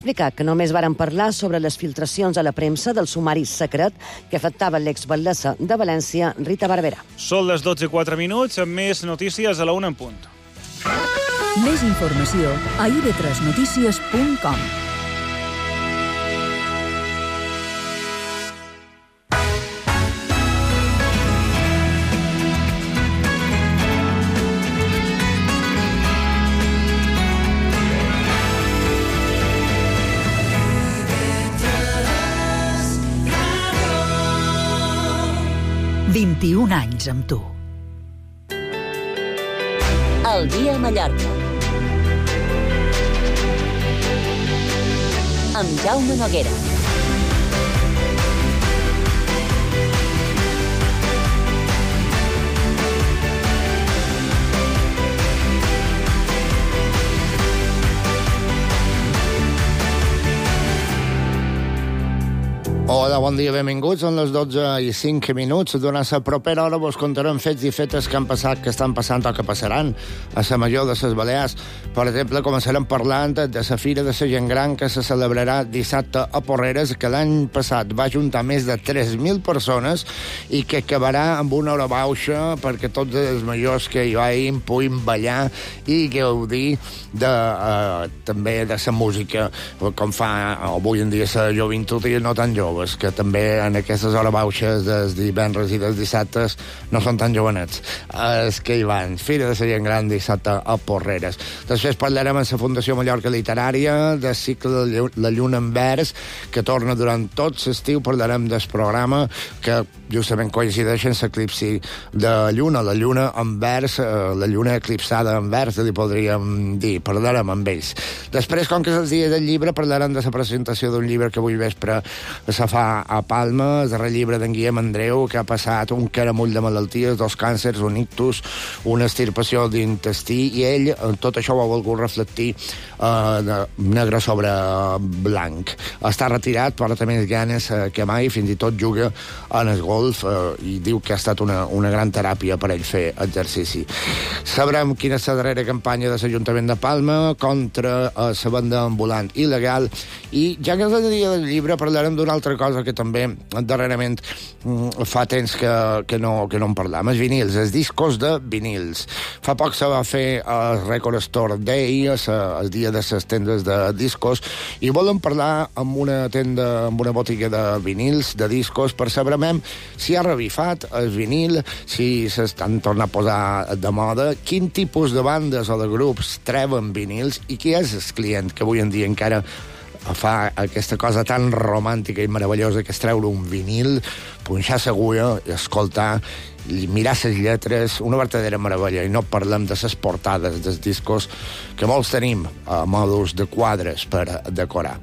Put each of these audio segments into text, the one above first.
explicar que només varen parlar sobre les filtracions a la premsa del sumari secret que afectava l'exbatllessa de València, Rita Barberà. Són les 12:04, amb més notícies a la 1 en punt. Més informació a ib3notícies.com. «21 anys amb tu». El dia a Mallorca. Amb Jaume Noguera. Hola, bon dia, benvinguts. Són les 12:05. Durant la propera hora vos contarem fets i fetes que han passat, que estan passant o que passaran a la Major de les Balears. Per exemple, començarem parlant de la Fira de la Gent Gran que se celebrarà dissabte a Porreres, que l'any passat va juntar més de 3.000 persones i que acabarà amb una hora baixa perquè tots els majors que hi vagin puguin ballar i gaudir també de la música, com fa avui en dia la joventut i no tan jove, que també en aquestes hores baixes dels divendres i dels dissabtes no són tan jovenets. Els que hi van. Fira de la Gent Gran dissabte a Porreres. Després parlarem amb la Fundació Mallorca Literària del cicle La Lluna en Vers, que torna durant tot l'estiu. Parlarem del programa que justament coincideix en l'eclipsi de Lluna, la Lluna en Vers, la Lluna eclipsada en Vers, li podríem dir. Parlarem amb ells. Després, com que és el dia del llibre, parlarem de la presentació d'un llibre que avui vespre se fa a Palma, el darrer llibre d'en Guillem Andreu, que ha passat un caramull de malalties, 2 càncers, un ictus, una extirpació d'intestí, i ell tot això ho ha volgut reflectir negre sobre blanc. Està retirat, però té més ganes que mai, fins i tot juga en el golf i diu que ha estat una gran teràpia per ell fer exercici. Sabrem quina és la darrera campanya de l'Ajuntament de Palma contra la venda ambulant il·legal, i ja que és el dia del llibre parlarem d'una altra cosa que també darrerament fa temps que no en parlam, els vinils, els discos de vinils. Fa poc se va fer el Record Store Day, el dia de les tendes de discos, i volem parlar amb una tenda, amb una botiga de vinils, de discos, per saber si ha revifat el vinil, si s'estan tornant a posar de moda, quin tipus de bandes o de grups treuen vinils i qui és el client que avui en dia encara fa aquesta cosa tan romàntica i meravellosa que és treure un vinil, punxar l'agulla i escoltar, i mirar les lletres, una verdadera meravella. I no parlem de les portades dels discos, que molts tenim a mòduls de quadres per decorar.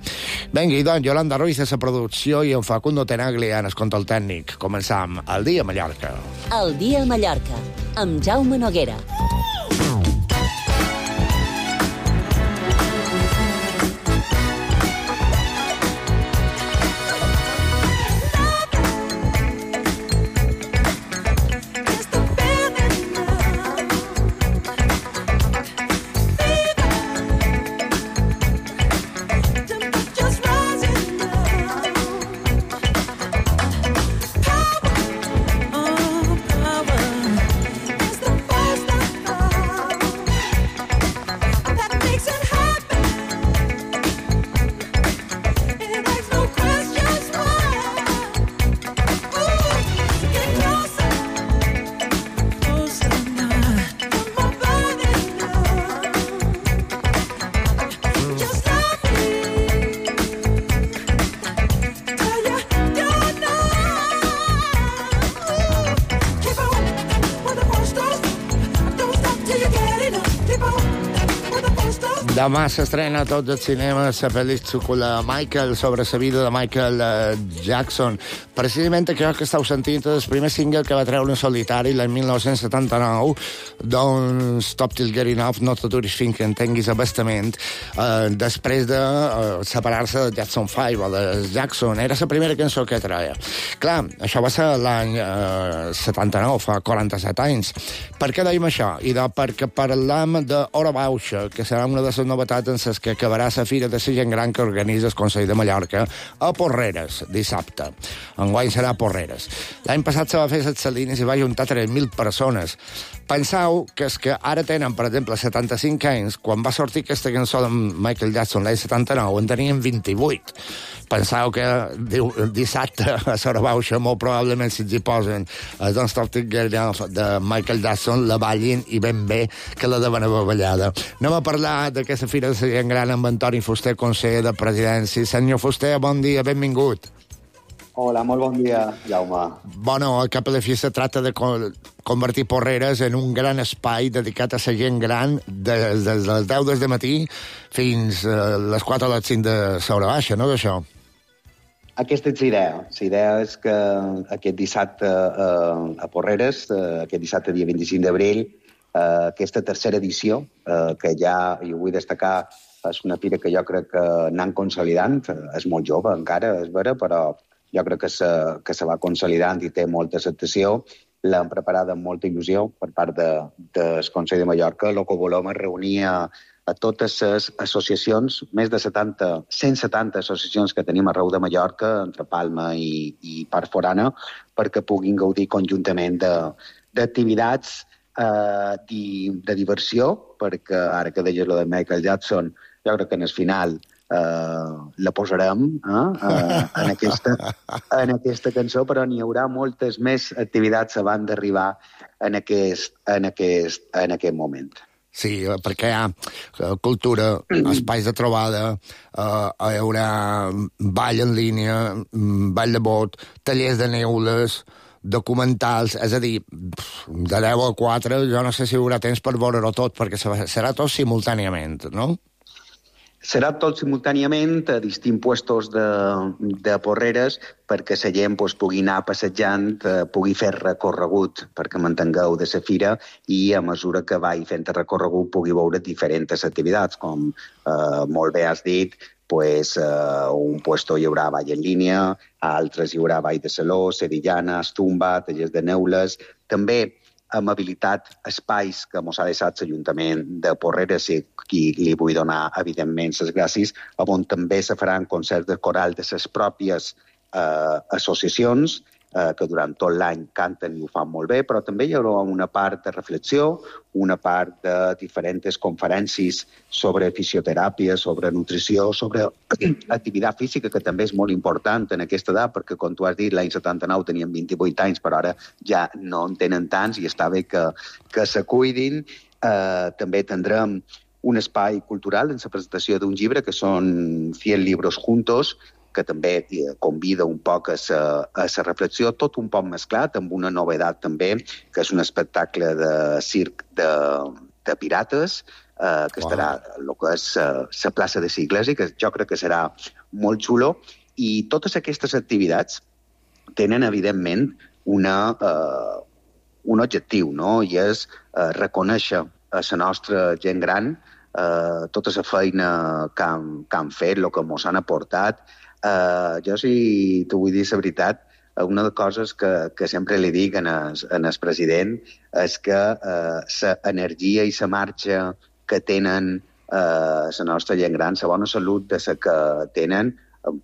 Vinga, i doncs, Yolanda Ruiz a la producció i en Facundo Tenaglia en el control tècnic. Començam el dia a Mallorca. El dia a Mallorca, amb Jaume Noguera. Demà s'estrena a tots els cinemes la pel·lícula Michael, sobre la vida de Michael Jackson. Precisament això que estàu sentint és el primer single que va treure en solitari l'any 1979, Don't Stop Till Getting Off, no t'aturis fins que entenguis abastament, després de separar-se de Jackson 5 o de Jackson. Era la primera cançó que treia. Clar, això va ser l'any 79, fa 47 anys. Per què dèiem això? I perquè parlam d'Hora Baixa, que serà una de les novetats en les que acabarà la Fira de la Gent Gran que organitza el Consell de Mallorca a Porreres, dissabte. Enguany serà a Porreres. L'any passat se va fer a les Salines i va juntar 3.000 persones. Penseu que és que ara tenen, per exemple, 75 anys, quan va sortir aquesta cançó de Michael Jackson l'any 79, en tenien 28. Penseu que dissabte a Sorabauxa molt probablement si hi posen Don't Stop the Girl de Michael Jackson la ballin i ben bé que la deuen haver ballada. Anem a parlar d'aquesta Fira de la Gent Gran amb Antoni Fuster, conseller de Presidència. Senyor Fuster, bon dia, benvingut. Hola, molt bon dia, Jaume. Bueno, al cap de la fi se tracta de convertir Porreres en un gran espai dedicat a la gent gran des de les 10 del matí fins a les 4 o les 5 de l'hora baixa, no, d'això? Aquesta és l'idea. L'idea és que aquest dissabte a Porreres, aquest dissabte dia 25 d'abril, aquesta tercera edició, que ja, i ho vull destacar, és una fira que jo crec que anant consolidant, és molt jove encara, és vera, però jo crec que se va consolidant i té molta acceptació. L'hem preparada amb molta il·lusió per part del Consell de Mallorca. El que volem és reunir a totes les associacions, més de 170 associacions que tenim arreu de Mallorca, entre Palma i part forana, perquè puguin gaudir conjuntament d'activitats de diversió, perquè ara que deies lo de Michael Jackson, jo crec que en el final la posarem en aquesta cançó, però n'hi haurà moltes més activitats abans d'arribar en aquest moment. Sí, perquè hi ha cultura, espais de trobada, hi haurà ball en línia, ball de bot, tallers de neules, documentals, és a dir, de 10 a 4, jo no sé si hi haurà temps per veure-ho tot, perquè serà tot simultàniament, no? Serà tot simultàniament a distints puestos de Porreres perquè la gent pugui anar passejant, pugui fer recorregut perquè mantingueu de la fira i a mesura que vagi fent el recorregut pugui veure diferents activitats, com molt bé has dit, un puesto hi haurà ball en línia, a altres hi haurà ball de saló, sevillana, estumba, tallers de neules, també hem habilitat espais que mos ha deixat l'Ajuntament de Porreres i qui li vull donar, evidentment, les gràcies, on també se faran concerts de coral de les pròpies associacions que durant tot l'any canten i ho fan molt bé, però també hi haurà una part de reflexió, una part de diferents conferències sobre fisioteràpia, sobre nutrició, sobre activitat física, que també és molt important en aquesta edat, perquè, com tu has dit, l'any 79 tenien 28 anys, però ara ja no en tenen tants i està bé que se cuidin. També tindrem un espai cultural en la presentació d'un llibre que són 100 libros juntos, que també convida un poc a la reflexió, tot un poc mesclat, amb una novetat també, que és un espectacle de circ de pirates, que estarà el que és la plaça de l'Església, que jo crec que serà molt xulo, i totes aquestes activitats tenen, evidentment, un objectiu, no? I és reconèixer a la nostra gent gran tota la feina que han fet, el que ens han aportat. Jo, si t'ho vull dir la veritat, una de les coses que sempre li dic en el president és que l'energia i la marxa que tenen la nostra gent gran, la bona salut de la que tenen,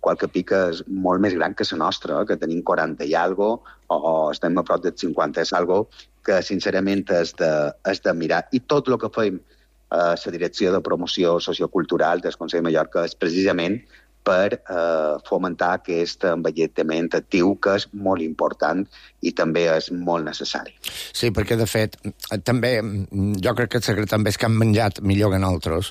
qualque pica és molt més gran que la nostra, que tenim 40 i algo, o estem a prop de 50 i algo, que sincerament és de mirar. I tot el que fem a la direcció de promoció sociocultural del Consell de Mallorca és precisament per fomentar aquest envelliment actiu, que és molt important i també és molt necessari. Sí, perquè, de fet, també, jo crec que el secret també és que han menjat millor que nosaltres.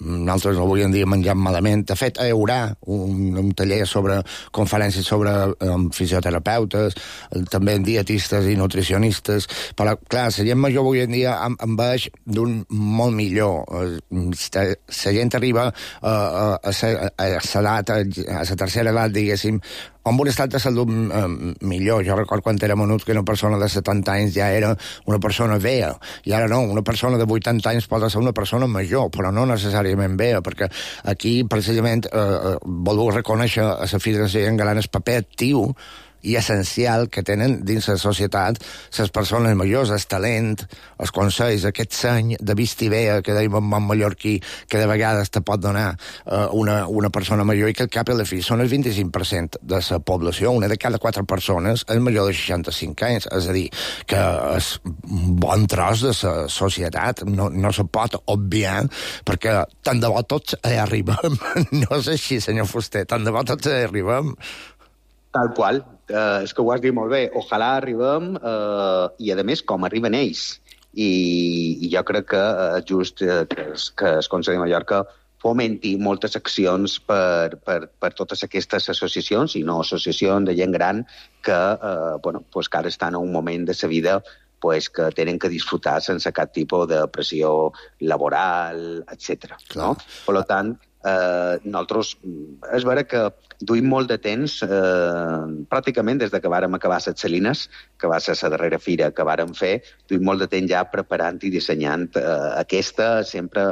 Nosaltres avui en dia mengem malament. De fet, hi haurà un taller sobre conferències sobre fisioterapeutes, també dietistes i nutricionistes, però, clar, la gent major avui en dia en veix d'un molt millor. La gent arriba a la tercera edat, diguéssim, amb un estat de salut millor. Jo recordo quan era menut que una persona de 70 anys ja era una persona vella, i ara no, una persona de 80 anys pot ser una persona major, però no necessàriament vella, perquè aquí, precisament, voleu reconèixer a la Fira de la Gent Gran el paper actiu i essencial que tenen dins la societat les persones majors, el talent, els consells, aquest seny de vist i vea que deim en bon mallorquí, que de vegades te pot donar una persona major, i que al cap i a la fi són el 25% de la població, una de cada 4 persones és major de 65 anys, és a dir, que és un bon tros de la societat, no se pot obviar, perquè tant de bo tots hi arribem. No és així, senyor Fuster, tant de bo tots hi arribem. Tal qual. És que ho has dit molt bé. Ojalà arribem, i a més, com arriben ells. I jo crec que és just que el Consell de Mallorca fomenti moltes accions per totes aquestes associacions, i no associacions de gent gran que ara estan en un moment de sa vida que tenen que disfrutar sense cap tipus de pressió laboral, etc. No? Per tant, nosaltres és vera que duim molt de temps, pràcticament des que vàrem acabar les Salines, que va ser la darrera fira que vàrem fer, duim molt de temps ja preparant i dissenyant aquesta, sempre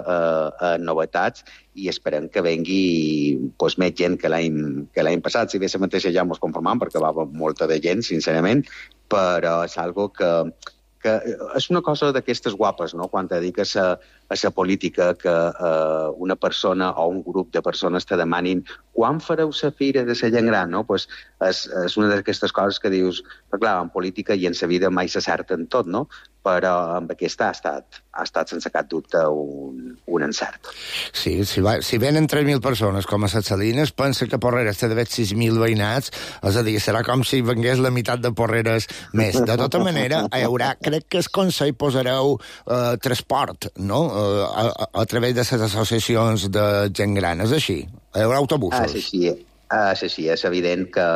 novetats, i esperem que vengui més gent que l'any passat. Si bé la mateixa ja ens conformam, perquè va molta de gent, sincerament, però és algo que és una cosa d'aquestes guapes, no? Quan te dediques a la política, que una persona o un grup de persones te demanin quan fareu la fira de la gent gran, no? Pues és una d'aquestes coses que dius, clar, en política i en la vida mai s'acerta en tot, no? Però amb aquesta ha estat sense cap dubte un encert. Sí, si venen 3.000 persones com a les Salines, pensa que Porreres té d'haver 6.000 veïnats, és a dir, serà com si vengués la meitat de Porreres més. De tota manera, hi haurà, crec que el Consell posareu transport, no?, a través de les associacions de gent gran, és així? Hi haurà autobusos? Sí, és evident que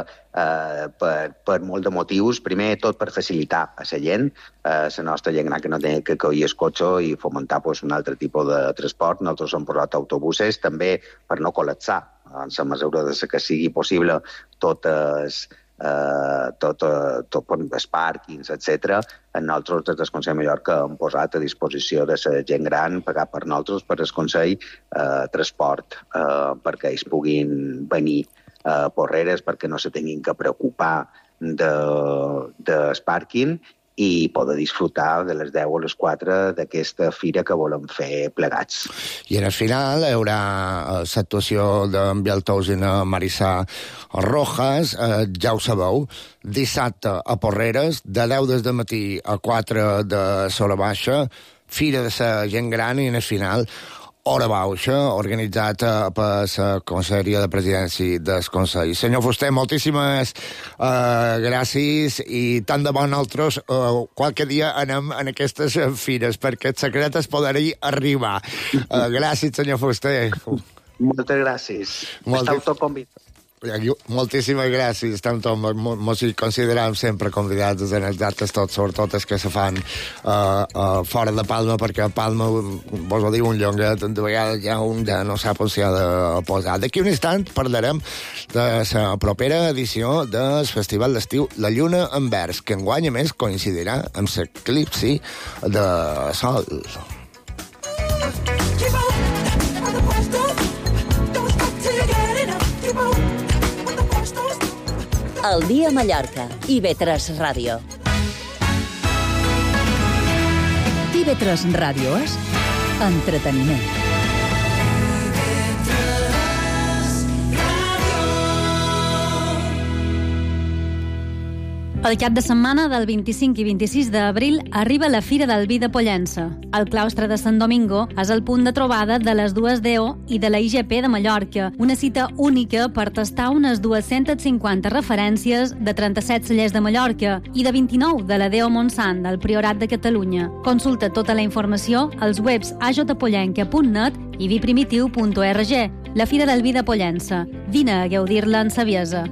per molt de motius, primer tot per facilitar a la gent, la nostra gent gran que no té que coir el cotxe i fomentar un altre tipus de transport. Nosaltres hem posat autobuses també per no col·lapsar, en la mesura que sigui possible, tots els pàrquings, etc. Nosaltres, des del Consell de Mallorca, hem posat a disposició de la gent gran, pagat per nosaltres, per el Consell, transport, perquè ells puguin venir a Porreres, perquè no se tinguin que preocupar del pàrquing i poder disfrutar de les 10 o les 4 d'aquesta fira que volem fer plegats. I al final hi haurà l'actuació d'en Bieltous i la Marissà Rojas, ja ho sabeu, dissabte a Porreres, de 10 del matí a 4 de l'hora baixa, fira de la gent gran, i al final hora baixa, organitzat per la Conselleria de Presidència del Consell. Senyor Fuster, moltíssimes gràcies, i tant de bon nosaltres qualque dia anem en aquestes fires, perquè el secret és poder-hi arribar. Gràcies, senyor Fuster. Moltes gràcies. Esteu tot convidats. Moltíssimes gràcies. Estem tots, mos hi considerem sempre convidats en els actes tots, sobretot els que se fan fora de Palma, perquè a Palma, vos ho diu un llonguet, de vegades ja un ja no sap on s'hi ha de posar. D'aquí un instant parlarem de la propera edició del Festival d'Estiu La Lluna en Vers, que enguany a més coincidirà amb l'eclipsi de Sol. El dia a Mallorca, IB3 Ràdio. IB3 Ràdio és entreteniment. El cap de setmana del 25 i 26 d'abril arriba la Fira del Vi de Pollença. El claustre de Sant Domingo és el punt de trobada de les dues DO i de la IGP de Mallorca, una cita única per tastar unes 250 referències de 37 cellers de Mallorca i de 29 de la DO Montsant del Priorat de Catalunya. Consulta tota la informació als webs ajpollenca.net i viprimitiu.org. La Fira del Vi de Pollença. Vine a gaudir-la en saviesa.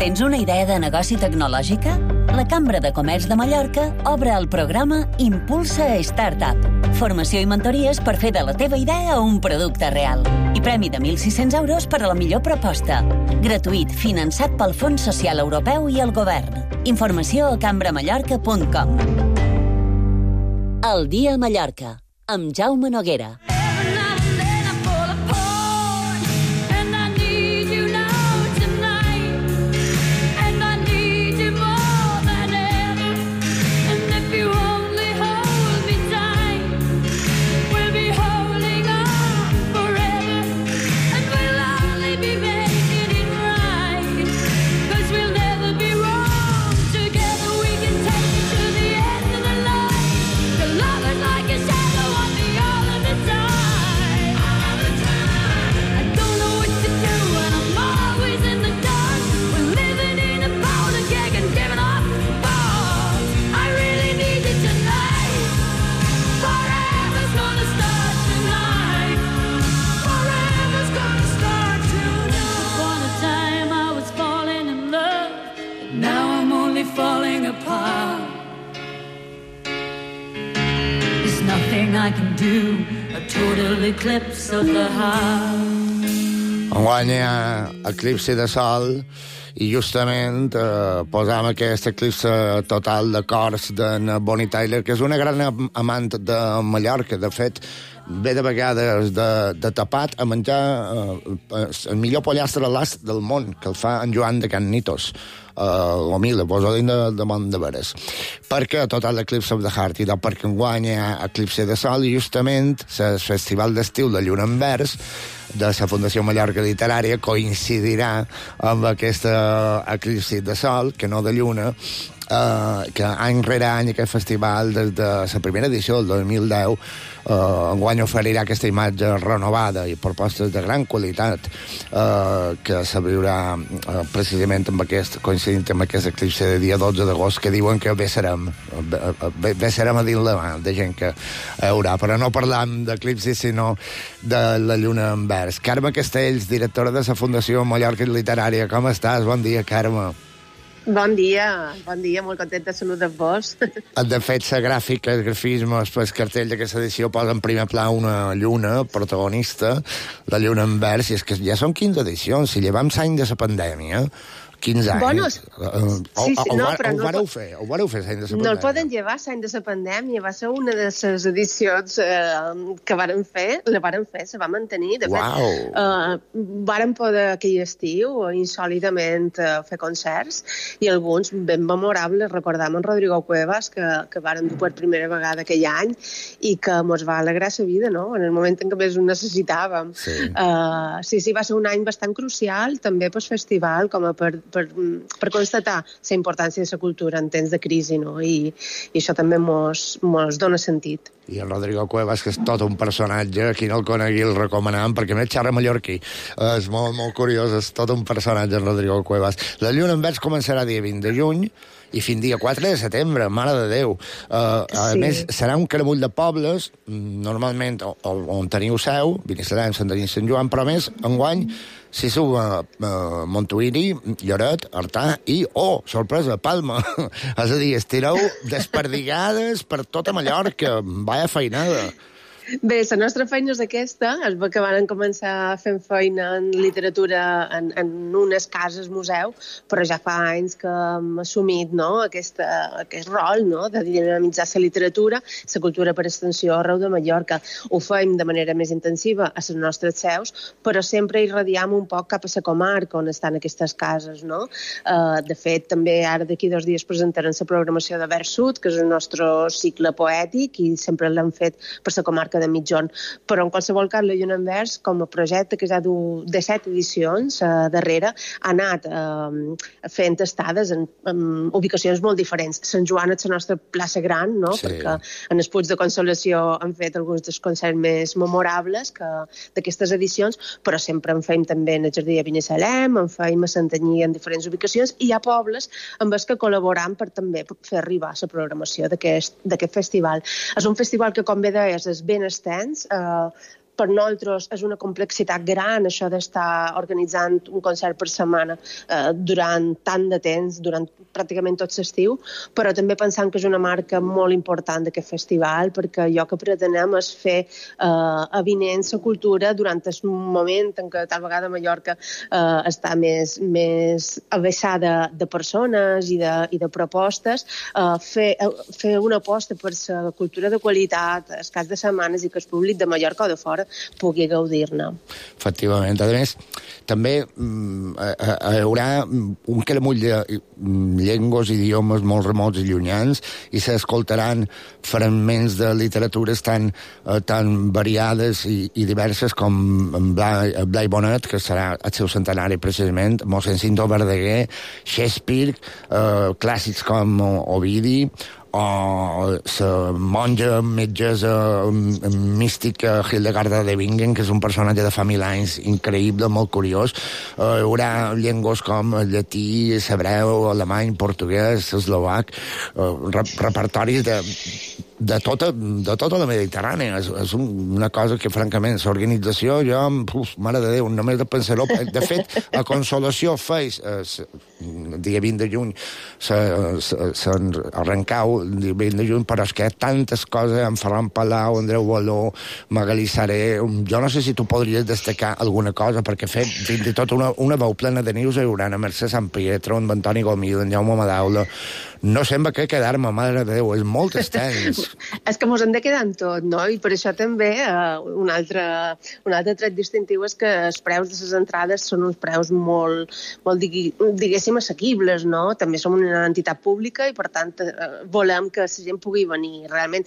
Tens una idea de negoci tecnològica? La Cambra de Comerç de Mallorca obre el programa Impulsa Startup. Formació i mentories per fer de la teva idea un producte real. I premi de 1.600 euros per a la millor proposta. Gratuït, finançat pel Fons Social Europeu i el Govern. Informació a cambramallorca.com. El dia a Mallorca, amb Jaume Noguera. I can do a total eclipse of the heart. Enguany hi ha eclipsi de sol i justament posam aquest eclipse total de cors d'en Bonnie Tyler, que és una gran amant de Mallorca. De fet, ve de vegades de tapat a menjar el millor pollastre a l'ast del món, que el fa en Joan de Can Nitos. L'humil, poso de món de veres. Perquè total l'Eclipse of the Heart, i perquè enguany hi ha eclipse de sol, i justament el Festival d'Estiu de Lluna en Vers de la Fundació Mallorca Literària coincidirà amb aquesta eclipsi de sol, que no de lluna, que any rere any aquest festival, des de la primera edició del 2010, enguany oferirà aquesta imatge renovada i propostes de gran qualitat que se viurà precisament coincidint amb aquest eclipse de dia 12 d'agost, que diuen que bé serem a dins la mà de gent que hi haurà, però no parlam d'eclipsi sinó de la lluna en vers. Carme Castells, directora de la Fundació Mallorca Literària, com estàs? Bon dia, Carme. Bon dia, molt content de saludar-vos. De fet, la gràfica, el grafisme, el cartell d'aquesta edició posa en primer pla una lluna protagonista, la lluna en vers, i és que ja són 15 edicions, si llevam l'any de la pandèmia, 15 anys. Bueno, ho vareu fer l'any de la pandèmia. No el poden llevar l'any de la pandèmia, va ser una de les edicions que varen fer, se va mantenir. De fet, varen poder aquell estiu insòlidament fer concerts, i alguns ben memorables. Recordam en Rodrigo Cuevas, que varen dur per primera vegada aquell any, i que mos va alegrar la vida, no?, en el moment en què més ho necessitàvem. Sí, va ser un any bastant crucial, també pel festival, com a per constatar la importància de la cultura en temps de crisi, no? I això també mos dona sentit. I el Rodrigo Cuevas, que és tot un personatge, qui no el conegui el recomanam, perquè més xerra mallorquí. És molt, molt curiós, és tot un personatge, el Rodrigo Cuevas. La lluna en vers començarà dia 20 de juny i fins dia 4 de setembre, mare de Déu. A més, serà un caramull de pobles, normalment on teniu seu, Binissalem, Sant Denis, Sant Joan, però més, enguany, s'hi sub a Montuïri, Lloret, Artà i, sorpresa, Palma. És a dir, estireu desperdigades per tota Mallorca. Vaya feinada. Bé, la nostra feina és aquesta. Es va que van començar fent feina en literatura en unes cases museu, però ja fa anys que hem assumit, no?, aquest rol, no?, de dinamitzar la literatura, la cultura per extensió arreu de Mallorca. Ho fem de manera més intensiva a les nostres seus, però sempre irradiam un poc cap a la comarca on estan aquestes cases, no? De fet, també ara d'aquí 2 dies presentaran la programació de Vers Sud, que és el nostre cicle poètic, i sempre l'hem fet per la comarca de Mitjón. Però en qualsevol cas, la Lluna en Vers, com a projecte que ja du 17 edicions darrere, ha anat fent estades en ubicacions molt diferents. Sant Joan és la nostra plaça gran, no? Perquè en el Puig de Consolació han fet alguns dels concerts més memorables d'aquestes edicions, però sempre en fem també en el Jardí de Binissalem, en fem a Santanyí en diferents ubicacions, i hi ha pobles amb els que col·laboram per també fer arribar la programació d'aquest festival. És un festival que, com bé deies, és ben extens. Per nosaltres és una complexitat gran això d'estar organitzant un concert per setmana durant tant de temps, durant pràcticament tot l'estiu, però també pensant que és una marca molt important d'aquest festival, perquè allò que pretenem és fer avinent la cultura durant el moment en què tal vegada Mallorca està més abaixada de persones i de propostes, fer una aposta per la cultura de qualitat els caps de setmanes i que el públic de Mallorca o de fora pugui gaudir-ne. Efectivament. A més, també hi haurà un caramull de llengües, idiomes molt remots i llunyans, i s'escoltaran fragments de literatures tan variades i diverses com Blai Bonet, que serà el seu centenari precisament, mossèn Cinto Verdaguer, Shakespeare, clàssics com Ovidi, o la monja metgessa mística Hildegarda de Bingen, que és un personatge de fa 1000 anys increïble, molt curiós. Hi haurà llengües com el llatí, l'hebreu, alemany, portuguès, eslovac, repertoris de tota la Mediterrània. És una cosa que, francament, l'organització, mare de Déu, només de pensar-ho. De fet, a Consolació feis, el dia 20 de juny, s'arrencau el dia 20 de juny, però és que hi ha tantes coses, en Ferran Palau, Andreu Baló, Magalí Saré. Jo no sé si tu podries destacar alguna cosa, perquè fins i tot una veu plena de nius hi haurà a Mercè Sant Pietro, en Antoni Gomil, en Jaume Madaula. No sembla que quedar-me, mare de Déu, és molt extens. És que mos hem de quedar en tot, no? I per això també un altre tret distintiu és que els preus de les entrades són uns preus molt diguéssim, assequibles, no? També som una entitat pública i, per tant, volem que la gent pugui venir. Realment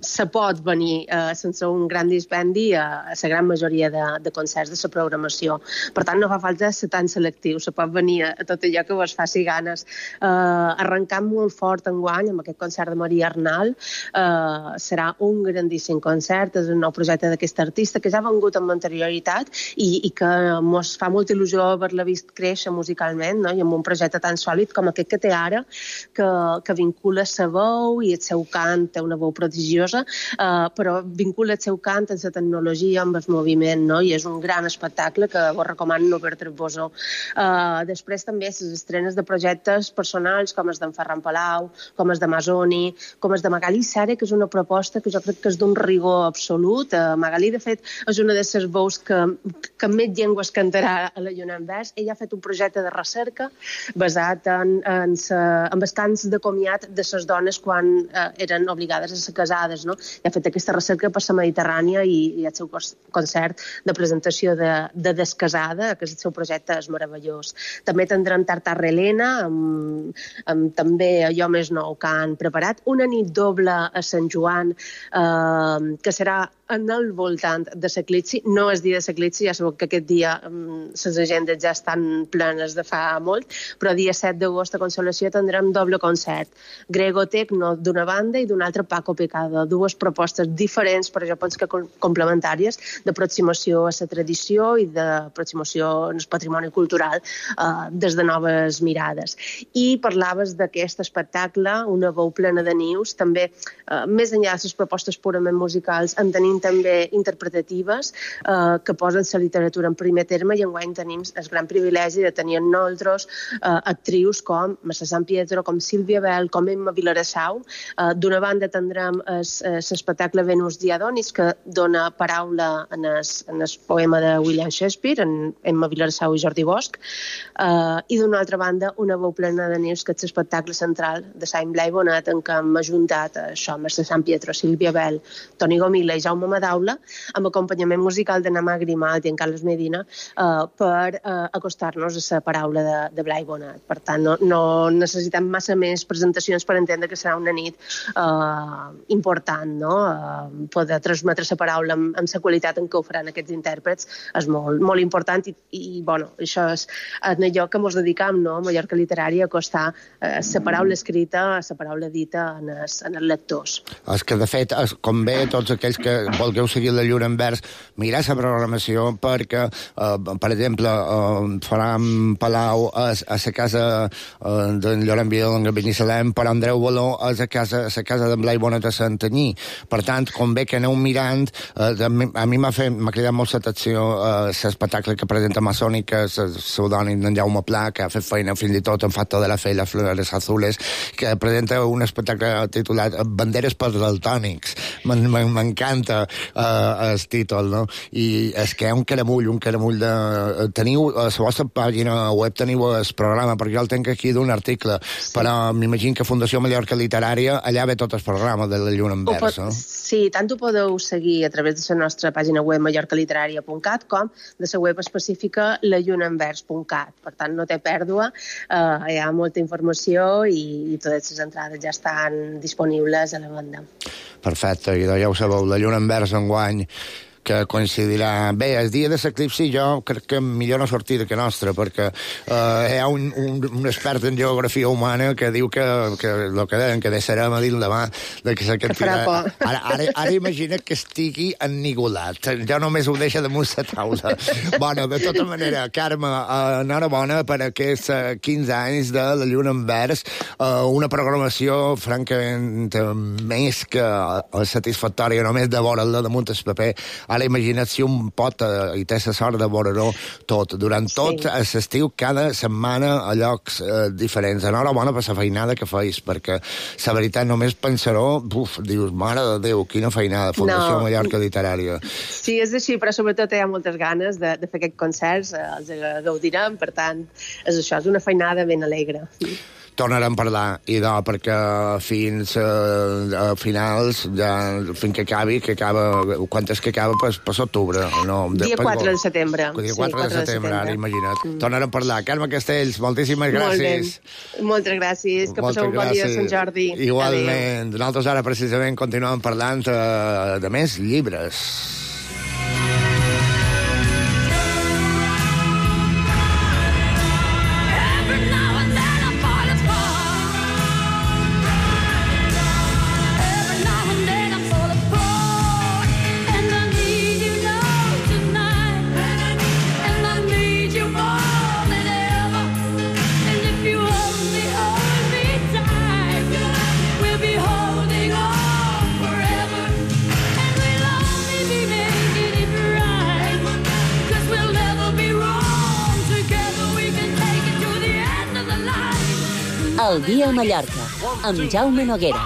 se pot venir sense un gran dispendi a la gran majoria de concerts de la programació. Per tant, no fa falta ser tan selectiu, se pot venir a tot allò que vos faci ganes. Arrencant molt fort enguany amb aquest concert de Maria Arnal. Serà un grandíssim concert, és un nou projecte d'aquest artista que ja ha vengut amb anterioritat i que ens fa molta il·lusió haver-la vist créixer musicalment, no? I amb un projecte tan sòlid com aquest que té ara, que vincula la veu i el seu cant, té una veu prodigiosa, però vincula el seu cant amb la tecnologia, amb el moviment, no? I és un gran espectacle que vos recomano no perdre-vos-ho. Després també les estrenes de projectes personals com els d'en Ferran Palau, com els de Masoni, com els de Magalí Saré, que és una proposta que jo crec que és d'un rigor absolut. Magalí, de fet, és una de les veus que més llengües cantarà a la Lluna en Vers. Ella ha fet un projecte de recerca basat en els cants de comiat de les dones quan eren obligades a ser casades, no? I ha fet aquesta recerca per la Mediterrània i el seu concert de presentació de Descasada, que el seu projecte és meravellós. També tindrem Tartar Helena, amb també allò més nou que han preparat. Una nit doble a Sant Joan, que serà en el voltant de l'Eclipsi. No és dia de l'Eclipsi, ja sabeu que aquest dia les agendes ja estan plenes de fa molt, però dia 7 d'agost a Consolació tindrem doble concert. Grego Tecno d'una banda i d'una altra Paco Picado. Dues propostes diferents, però jo penso que complementàries, d'aproximació a la tradició i d'aproximació al patrimoni cultural des de noves mirades. I parlaves d'aquest espectacle, una veu plena de nius, també més enllà de les propostes purament musicals, en tenim també interpretatives que posen la literatura en primer terme, i enguany tenim el gran privilegi de tenir en nosaltres actrius com Mercè Sant Pietro, com Sílvia Bel, com Emma Vilarassau. D'una banda tindrem l'espectacle Venus Diadonis, que dona paraula en el poema de William Shakespeare, en Emma Vilarassau i Jordi Bosch, i d'una altra banda una veu plena de nius, que és l'espectacle central de Sant Blai Bonet, en què hem ajuntat això, Mercè Sant Pietro, Sílvia Bel, Toni Gomila i Jaume Madaula, amb acompanyament musical de Namà Grimaldi i en Carles Medina, per acostar-nos a la paraula de Blai Bonet. Per tant, no necessitem massa més presentacions per entendre que serà una nit important, no? Poder transmetre la paraula amb la qualitat en què ho faran aquests intèrprets és molt, molt important i bueno, això és allò que ens dedicam, no? A Mallorca Literària, a acostar la paraula escrita a la paraula dita en els lectors. És que, de fet, convé tots aquells que vulgueu seguir la Lluna en Vers, mirar la programació, perquè, per exemple, Ferran Palau és a la casa d'en Llorenç Vidal en Binissalem, però Andreu Baló és a la casa d'en Blai Bonet a Santanyí. Per tant, convé que aneu mirant. A mi m'ha cridat molt l'atenció l'espectacle que presenta Masoni, que és el pseudònim d'en Jaume Pla, que ha fet feina fins i tot en Facto de la Fe i les Flores Azules, que presenta un espectacle titulat Banderes per daltònics. M'encanta el títol, no? I és que hi ha un caramull de... Teniu, a la vostra pàgina web teniu el programa, perquè jo el tenc aquí d'un article, però m'imagino que Fundació Mallorca Literària, allà ve tot el programa de la Lluna en Vers, no? Sí, tant ho podeu seguir a través de la nostra pàgina web mallorcaliteraria.cat com de la web específica lallunaenvers.cat. Per tant, no té pèrdua, hi ha molta informació i totes les entrades ja estan disponibles a la banda. Perfecte, i ja ho sabeu, la Lluna en Vers enguany que coincidirà. Bé, el dia de l'eclipsi jo crec que millor no sortir de que nostra, perquè hi ha un expert en geografia humana que diu que el que deien, que deixarem a dir demà, de que ara imagina't que estigui ennigolat. Jo només ho deixo damunt la taula. Bueno, de tota manera, Carme, enhorabona per aquests 15 anys de la Lluna en Vers, una programació francament més que satisfactòria, només de veure'l damunt el paper. Ara imagina't si un pot i té la sort de veure-ho tot, durant tot l'estiu, cada setmana a llocs diferents. Enhorabona per la feinada que feis, perquè la veritat només pensar-ho, dius, mare de Déu, quina feinada, Fundació Mallorca Literària. Sí, és així, però sobretot hi ha moltes ganes de fer aquests concerts, els gaudirem, per tant, és una feinada ben alegre. Tornarem a parlar, perquè fins a finals, fins que acabi, quan és que acaba? Per l'octubre. Dia 4 de setembre. Dia 4 de setembre, ara imagina't. Tornarem a parlar. Carme Castells, moltíssimes gràcies. Moltes gràcies, que passeu un bon dia a Sant Jordi. Igualment. Nosaltres ara precisament continuem parlant de més llibres. El dia a Mallorca, amb Jaume Noguera.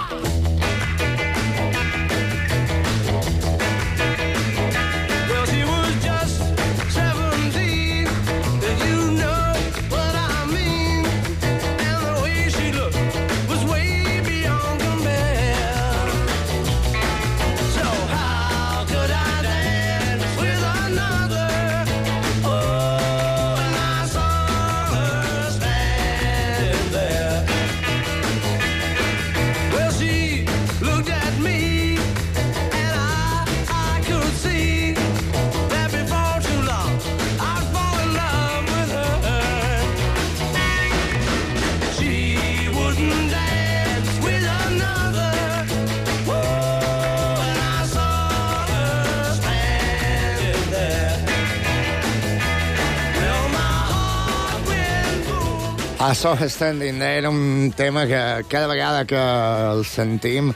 A So Standing era un tema que cada vegada que el sentim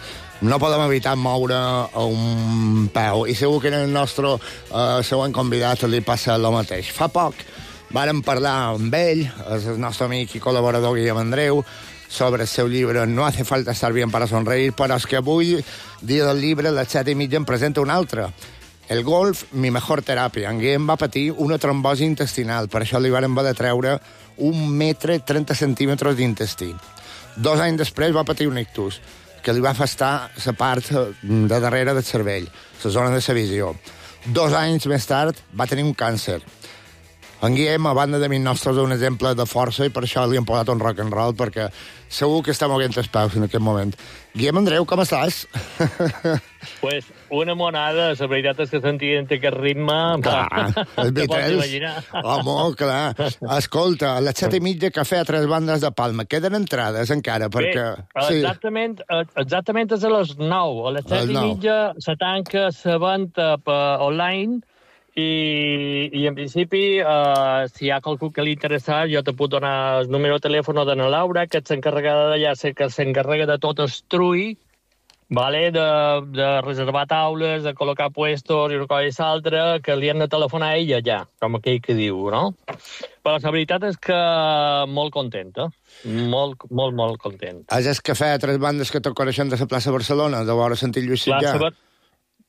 no podem evitar moure un peu, i segur que en el nostre següent convidat li passa el mateix. Fa poc vàrem parlar amb ell, el nostre amic i col·laborador Guillem Andreu, sobre el seu llibre No hace falta estar bien para sonreír, però és que avui, dia del llibre, a les 7:30 em presenta un altre. El golf, mi mejor teràpia. En Guillem va patir una trombosi intestinal, per això li varen haver de treure 1 metre 30 centímetres d'intestí. 2 anys després va patir un ictus, que li va afectar la part de darrere del cervell, la zona de la visió. 2 anys més tard va tenir un càncer. En Guillem, a banda de mi nostres, és un exemple de força, i per això li hem posat un rock and roll, perquè segur que està moguent els peus en aquest moment. Guillem Andreu, com estàs? Pues una monada, la veritat és que sentint aquest ritme... Clar, els Beatles. Home, clar. Escolta, a les 7:30, cafè a 3 bandes de Palma. Queden entrades encara, perquè... Bé, exactament és a les 9. A les 7:30 se tanca la venda online, i en principi, si hi ha qualcú que li interessa, jo te puc donar el número de telèfon de la Laura, que és encarregada d'allà, que s'encarrega de tot el trull, vale? De reservar taules, de col·locar puestos i una cosa i l'altra, que li han de telefonar a ella ja, com aquell que diu, no? Però la veritat és que molt contenta, molt content. És el cafè a 3 bandes que te coneixen de la plaça Barcelona, de vora Sant Lluís Sitjà.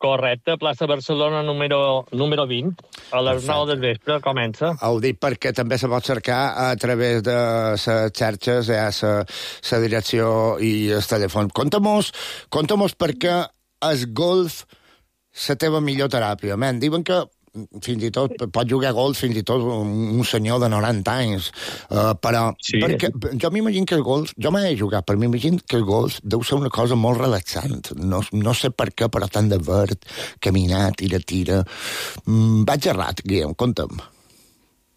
Correcte, plaça Barcelona número 20, a les 9 del vespre comença. Ho dic perquè també se pot cercar a través de les xarxes, la direcció i el telèfon. Conta-mos perquè el golf la teva millor teràpia. Diuen que fins i tot, pot jugar golf fins i tot un senyor de 90 anys, però perquè, jo m'imagino que el golf, jo m'he jugat, però m'imagino que el golf deu ser una cosa molt relaxant. No sé per què, però tant de verd, caminar, tira. Vaig errat, Guillem, conta'm.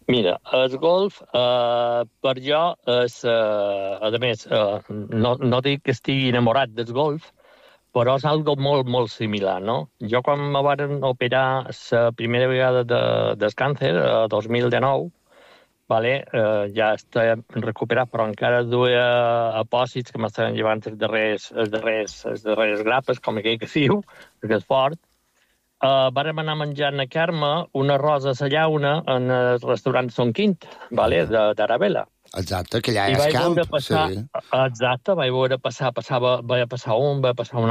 Mira, el golf, per jo, és, a més, no dic que estigui enamorat del golf, però és algo molt, molt similar, no? Jo quan me van operar la primera vegada del càncer, el 2019, ja estic recuperat, però encara duia apòsits que m'estaven llevant les darreres grapes, com aquell que diu, perquè és fort. Vàrem anar menjant a Carme una rosa a la llauna en el restaurant Son Quint, d'Arabella. Exacte, que allà és camp. Exacte, vaig veure passar un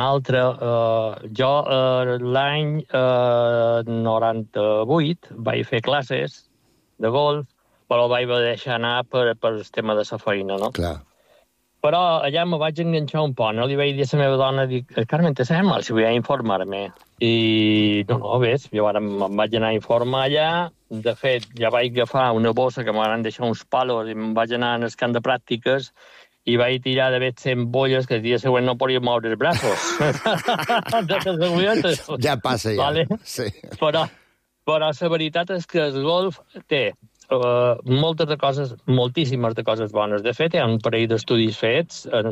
altre. Jo l'any 98 vaig fer classes de golf, però vaig deixar anar per el tema de la feina, no? Clar. Però allà me vaig enganxar un poc, no? Li vaig dir a la meva dona, Carmen, te sembla si vull informar-me? I no, ves, jo ara me'n vaig anar a informar allà. De fet, ja vaig agafar una bossa que m'han deixat uns palos i me'n vaig anar al camp de pràctiques i vaig tirar de 100 bolles que el dia següent no podia moure els braços. Ja passa, ja. Vale? Sí. Però la veritat és que el golf té moltíssimes de coses bones. De fet, hi ha un parell d'estudis fets en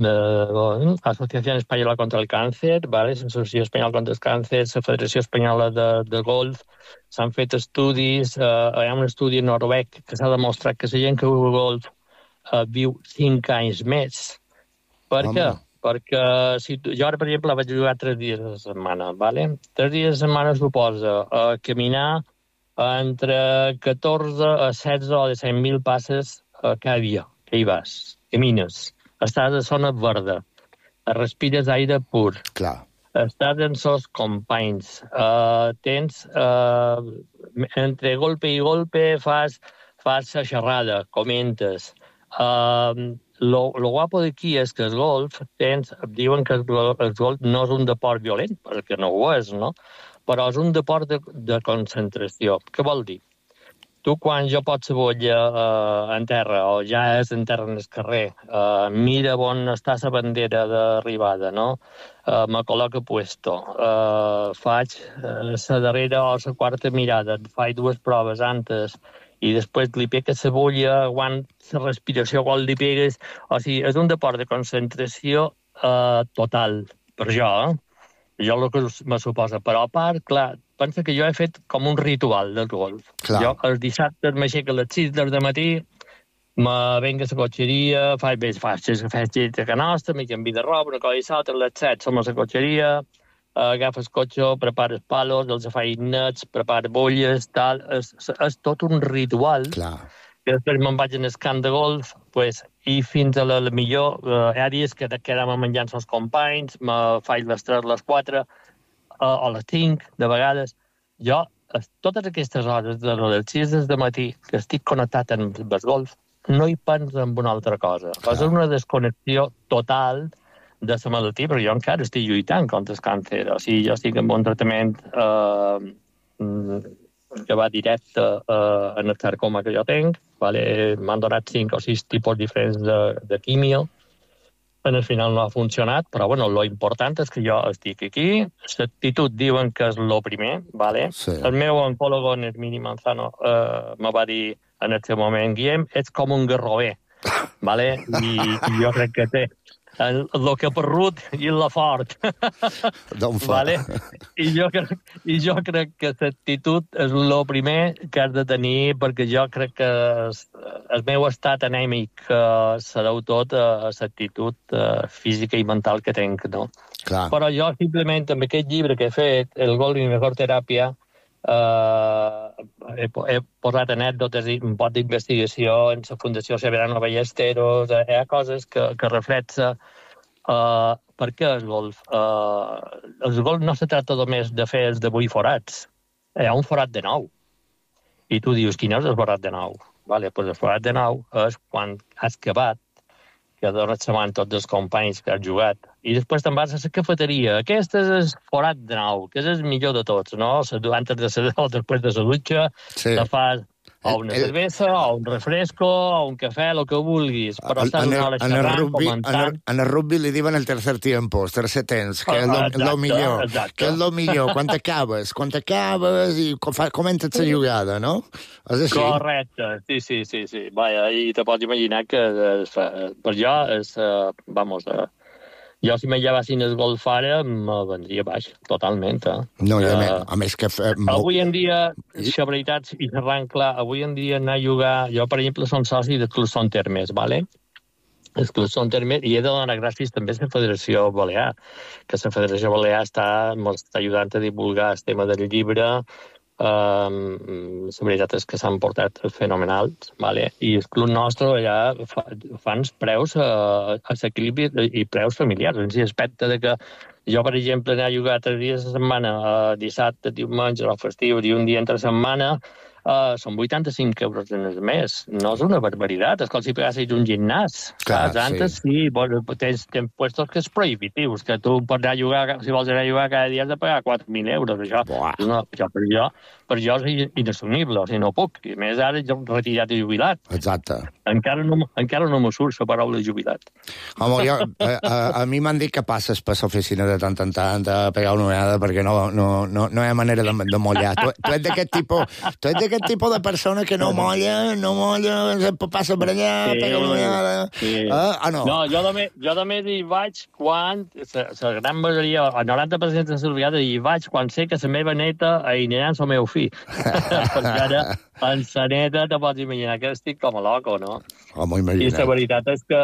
l'Associació Espanyola contra el Càncer, l'Associació Espanyola contra el Càncer, la Federació Espanyola de Golf, s'han fet estudis, hi ha un estudi noruec que s'ha demostrat que la gent que juga golf viu 5 anys més. Per què? Perquè jo ara, per exemple, vaig jugar 3 dies a la setmana, 3 dies a la setmana suposa caminar entre 14 a 16 o 17.000 passes cada dia, que hi vas, camines. Estàs a zona verda, respires aire pur, estàs amb els companys, tens, entre golpe i golpe fas la xerrada, comentes. Lo guapo d'aquí és que el golf, diuen que el golf no és un deport violent, perquè no ho és, no? Però és un deport de concentració. Què vol dir? Tu, quan jo pot cebolla en terra, o ja és en terra en el carrer, mira on està la bandera d'arribada, no? Me col·loca puesto, faig la darrera o la quarta mirada, faig 2 proves antes, i després li pegues cebolla, aguanta la respiració quan li pegues. O sigui, és un deport de concentració total, per jo, Jo el que me suposa. Però a part, clar, pensa que jo he fet com un ritual del golf. Jo els dissabtes m'aixeco a les 6 del matí, me venc a la cotxeria, faig a casa nostra, m'hi canvi de roba, una cosa i l'altra, a les 7 som a la cotxeria, agafes cotxe, prepares palos, els faig nets, prepares bolles, tal. És tot un ritual. Clar. I després me'n vaig en el camp de golf, i fins a la millor, hi ha dies que quedem menjant els companys, me faig les 3, les 4, o les 5, de vegades. Jo, totes aquestes hores, de les 6 del matí, que estic connectat amb el golf, no hi penso en una altra cosa. És una desconnexió total de la malaltia, però jo encara estic lluitant contra el càncer. O sigui, jo estic en un tractament que va directe en el sarcoma que jo tinc. M'han donat 5 o 6 tipus diferents de quimio. En el final no ha funcionat, però lo important és que jo estic aquí. L'actitud diuen que és el primer. El meu oncòlogo, en Hermini Manzano, me va dir en el seu moment, Guillem, ets com un garrover. I jo crec que té el que perrut i la fort. I jo crec que l'actitud és el primer que has de tenir, perquè jo crec que el meu estat anèmic se deu tot a l'actitud física i mental que tinc, no? Però jo simplement amb aquest llibre que he fet, El golf i mi mejor teràpia, he posat anècdotes i un pot d'investigació en la Fundació Severano Ballesteros. Hi ha coses que reflecten per què el golf. El golf no se tracta només de fer els de 8 forats. Hi ha un forat de 9. I tu dius, quin és el forat de 9? El forat de 9 és quan has acabat que dones sabant tots els companys que has jugat. I després te'n vas a la cafeteria. Aquest és el forat de nou, que és el millor de tots, no? Antes de la, o després de la dutxa, te fas o una cervesa, o un refresco, o un cafè, el que vulguis. Però estàs una hora xerrant, comentant. En el rugby li diuen el tercer tiempo, el tercer temps, que és lo millor. Que és lo millor, quan acabes i comences la jugada, no? És així. Correcte, sí. Vaja, i te pots imaginar que per jo és, jo si me llevassin el golf ara me vendria baix, totalment. No, a més que... Avui en dia, la veritat, i xerrant clar, avui en dia anar a jugar... Jo, per exemple, som soci del Club Son Termes, ¿vale? El Club Son Termes, i he de donar gràcies també a la Federació Balear, que la Federació Balear està ajudant a divulgar el tema del llibre. La veritat és que s'han portat fenomenals, ¿vale? I el club nostre allà fan preus a l'equilibri i preus familiars, en l'aspecte de que jo, per exemple, anar a jugar 3 dies a la setmana, dissabte, diumenge, o festiu, i un dia entre setmana, són 85 euros en el mes. No és una barbaritat, és com si pagassis un gimnàs. Antes sí, tens puestos que és prohibitius, que tu pots anar a jugar, si vols anar a jugar cada dia has de pagar 4.000 euros. Això per jo és inassumible, o sigui, no puc. I més ara jo retirat i jubilat. Exacte. Encara no me surt la paraula jubilat. Home, a mi m'han dit que passes per l'oficina de tant en tant a pegar una ullada perquè no hi ha manera de mollar. Tu ets d'aquest tipus de persona que no molla, sempre passa per allà, pega una ullada... No, jo només hi vaig quan, la gran majoria, el 90% de les vegades hi vaig quan sé que la meva neta anirà amb el meu fill. Perquè ara en sa neta te pots imaginar que estic com a loco, no? I la veritat és que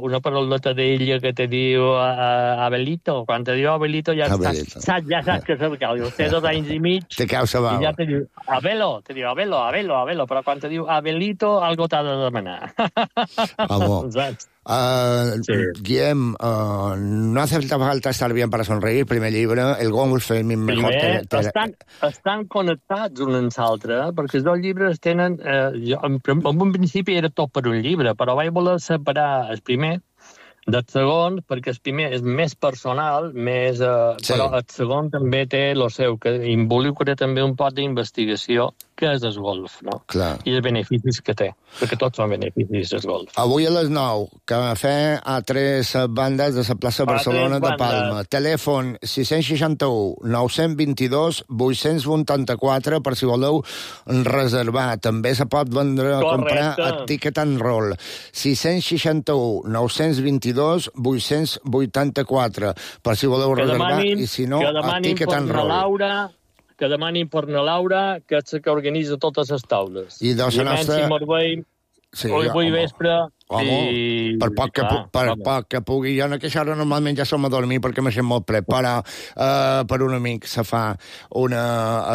una paroleta d'ella que te diu Abelito, quan te diu Abelito ja saps que és el que diu, té 2 anys i mig te cau sa bava. I ja te diu Abelo, però quan te diu Abelito algo t'ha de demanar. Guillem, no hace falta estar bien para sonreír, primer llibre, el golf és mejor... Estan connectats un amb l'altre, perquè els 2 llibres tenen... En un principi era tot per un llibre, però vaig voler separar el primer del segon, perquè el primer és més personal, però el segon també té el seu, que involucra també un pot d'investigació, que és el golf, no? Clar. I els beneficis que té, perquè tots són beneficis del golf. Avui a les 9, cafè a 3 bandes de la plaça Barcelona de Palma. Telèfon 661 922 884 per si voleu reservar. També se pot vendre a comprar a Ticket and Roll. 661 922 884 per si voleu reservar i si no a Ticket and Roll. Que demanin per na Laura, que és la que organitza totes les taules. I doncs la nostra... Avui vespre... Per poc que pugui. Jo en aquesta hora normalment ja som a dormir perquè m'he molt pret, però per un amic se fa una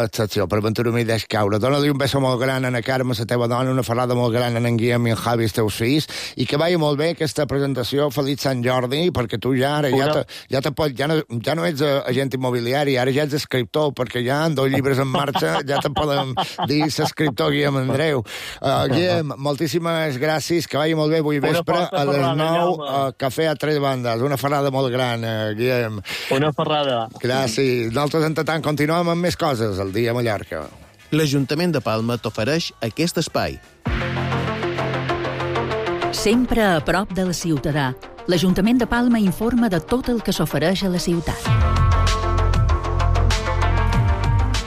excepció, per aventura-m'hi deix caure. Dóna-li un beso molt gran a la Carme, la teva dona, una ferrada molt gran a en Guillem i en Javi, els teus fills, i que vagi molt bé aquesta presentació. Feliç Sant Jordi, perquè tu ja ara ja no ets agent immobiliari, ara ja ets escriptor, perquè ja amb 2 llibres en marxa ja te podem dir l'escriptor Guillem Andreu. Guillem, moltíssimes gràcies, que vagi molt bé avui vespre a les 9 cafè a 3 bandes. Una ferrada molt gran, Guillem. Una ferrada. Gràcies. Nosaltres, entretant, continuem amb més coses el dia a Mallorca. L'Ajuntament de Palma t'ofereix aquest espai. Sempre a prop del ciutadà, l'Ajuntament de Palma informa de tot el que s'ofereix a la ciutat.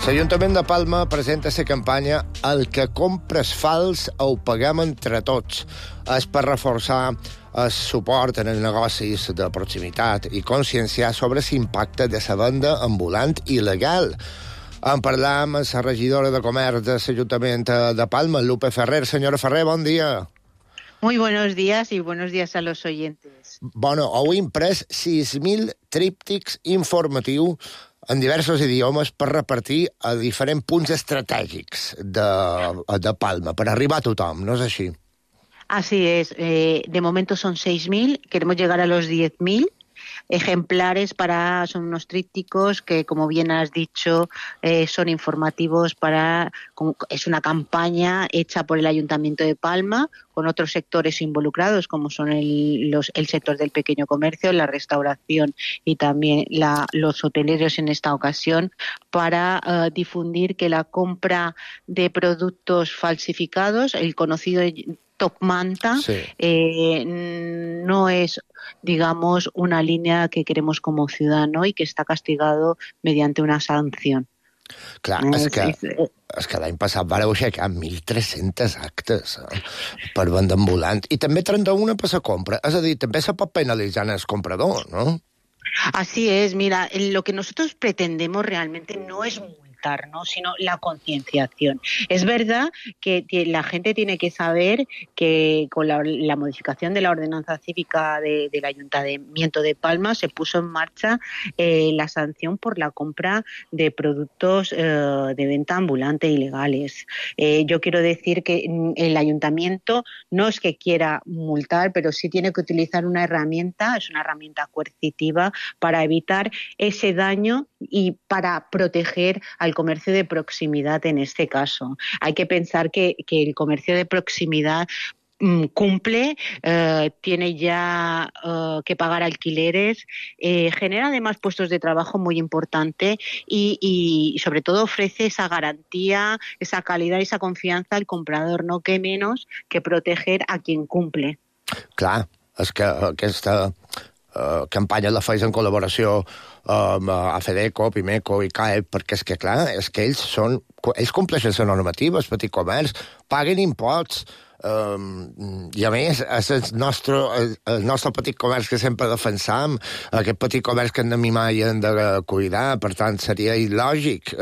L'Ajuntament de Palma presenta la campanya El que compres fals ho paguem entre tots. És per reforçar el suport en els negocis de proximitat i conscienciar sobre l'impacte de la venda ambulant il·legal. En parlar amb la regidora de Comerç de l'Ajuntament de Palma, Lupe Ferrer. Senyora Ferrer, bon dia. Muy buenos días y buenos días a los oyentes. Bueno, heu imprès 6.000 tríptics informatius en diversos idiomes per repartir a diferents punts estratègics de Palma, per arribar a tothom, ¿no es així? Así es. De momento son 6.000, queremos llegar a los 10.000, ejemplares son unos trípticos que, como bien has dicho, son informativos es una campaña hecha por el Ayuntamiento de Palma, con otros sectores involucrados, como son el sector del pequeño comercio, la restauración y también los hoteleros en esta ocasión, para difundir que la compra de productos falsificados, el conocido top manta, no es, digamos, una línea que queremos como ciudadano y que está castigado mediante una sanción. Clar, és que l'any passat vareu aixecar 1.300 actes per venda ambulant i també 31 per la compra. És a dir, també se pot penalitzar el comprador, ¿no? Así es, mira, lo que nosotros pretendemos realmente no es multar, ¿no?, sino la concienciación. Es verdad que la gente tiene que saber que con la modificación de la ordenanza cívica del Ayuntamiento de Palma se puso en marcha la sanción por la compra de productos de venta ambulante ilegales. Yo quiero decir que el Ayuntamiento no es que quiera multar, pero sí tiene que utilizar una herramienta, es una herramienta coercitiva para evitar ese daño y para proteger al comercio de proximidad en este caso. Hay que pensar que el comercio de proximidad cumple, tiene ya que pagar alquileres, genera además puestos de trabajo muy importante y sobre todo ofrece esa garantía, esa calidad y esa confianza al comprador, no que menos que proteger a quien cumple. Clar, és que aquesta campanya la feis en col·laboració amb AFEDECO, PIMECO i CAEP, perquè és que, clar, és que ells compleixen la normativa, el petit comerç, paguen imposts, i a més és el nostre petit comerç que sempre defensam, aquest petit comerç que hem de mimar i hem de cuidar, per tant seria il·lògic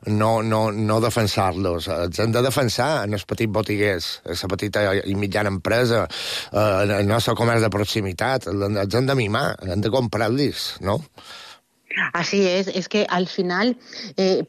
no defensar-los. Els hem de defensar en els petits botiguers, la petita i mitjana empresa, el nostre comerç de proximitat, els hem de mimar, hem de comprar-los, no? Así es que al final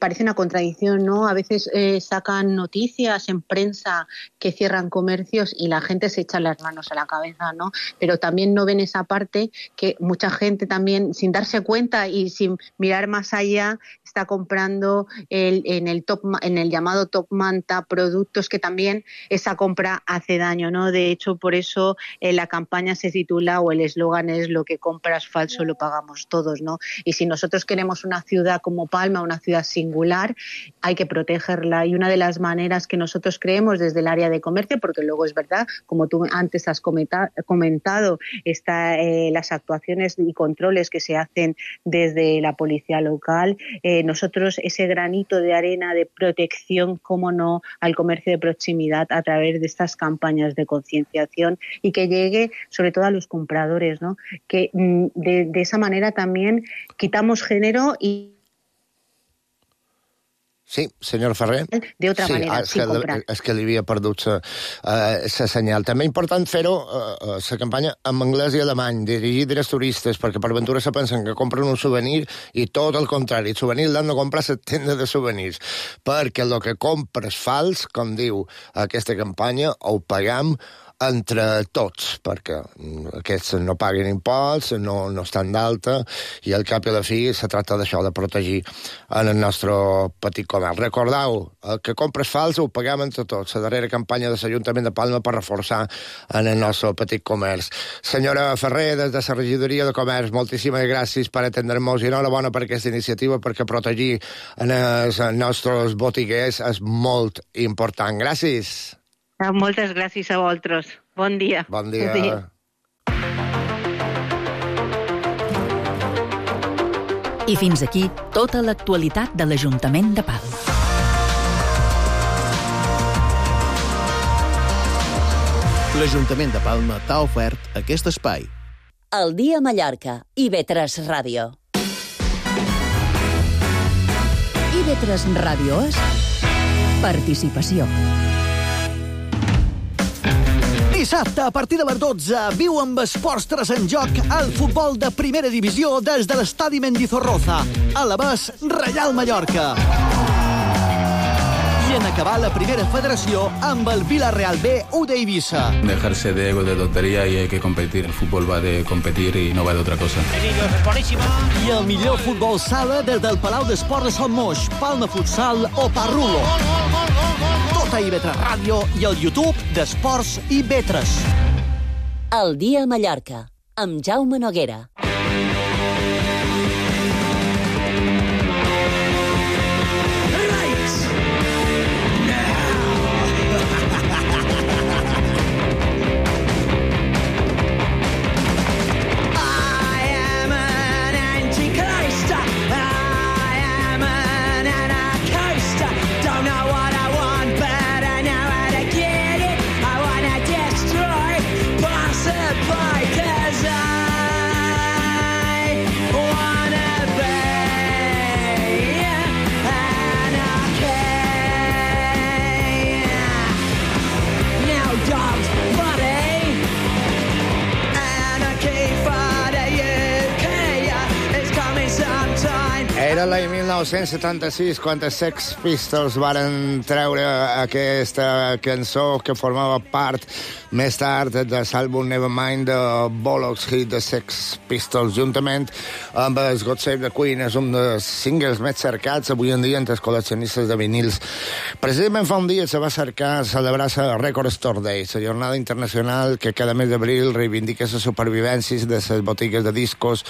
parece una contradicción, ¿no? A veces sacan noticias en prensa que cierran comercios y la gente se echa las manos a la cabeza, ¿no? Pero también no ven esa parte que mucha gente también, sin darse cuenta y sin mirar más allá, está comprando en el llamado top manta productos que también esa compra hace daño, ¿no? De hecho, por eso la campaña se titula, o el eslogan es: lo que compras falso lo pagamos todos, ¿no? Y si nosotros queremos una ciudad como Palma, una ciudad singular, hay que protegerla. Y una de las maneras que nosotros creemos desde el área de comercio, porque luego es verdad, como tú antes has comentado, las actuaciones y controles que se hacen desde la policía local, nosotros ese granito de arena de protección, cómo no, al comercio de proximidad a través de estas campañas de concienciación y que llegue sobre todo a los compradores, ¿no? Que de esa manera también quitamos género y... Sí, senyor Ferrer. De otra manera, sin comprar. És que li havia perdut la senyal. També important fer-ho, la campanya, en anglès i alemany, dirigida als turistes, perquè per ventura se pensen que compren un souvenir i tot el contrari, el souvenir l'han de comprar a la tenda de souvenirs, perquè el que compres fals, com diu aquesta campanya, ho pagam entre tots, perquè aquests no paguen imposts, no estan d'alta, i al cap i a la fi se tracta d'això, de protegir en el nostre petit comerç. Recordeu, el que compres fals ho paguem entre tots, la darrera campanya de l'Ajuntament de Palma per reforçar en el nostre petit comerç. Senyora Ferrer, des de la regidoria de comerç, moltíssimes gràcies per atendre-nos i enhorabona per aquesta iniciativa, perquè protegir els nostres botiguers és molt important. Gràcies. Moltes gràcies a vosaltres. Bon dia. Bon dia. I fins aquí tota l'actualitat de l'Ajuntament de Palma. L'Ajuntament de Palma t'ha ofert aquest espai. El dia a Mallorca, IB3 Ràdio. IB3 Ràdio és participació. Dissabte, a partir de les 12, viu amb Esports 3 en joc el futbol de primera divisió des de l'estadi Mendizorroza, a la Bes Reial Mallorca. I i en acabar la primera federació amb el Villarreal B, U d'Eivissa. Dejarse de ego, de tontería y hay que competir. El fútbol va de competir y no va de otra cosa. I el millor futbol sala des del Palau d'Esports de Sant Moix, Palma Futsal o Parrulo. Tot a IB3 Ràdio i al YouTube d'Esports IB3. El dia a Mallorca, amb Jaume Noguera. Era l'any 1976 quan els Sex Pistols varen treure aquesta cançó que formava part més tard de l'àlbum Nevermind de Bollocks Hit de Sex Pistols, juntament amb el God Save the Queen. És un dels singles més cercats avui en dia entre els col·leccionistes de vinils. Precisament fa un dia se va cercar celebrar la Record Store Day, la jornada internacional que cada mes d'abril reivindica la supervivència de les botigues de discos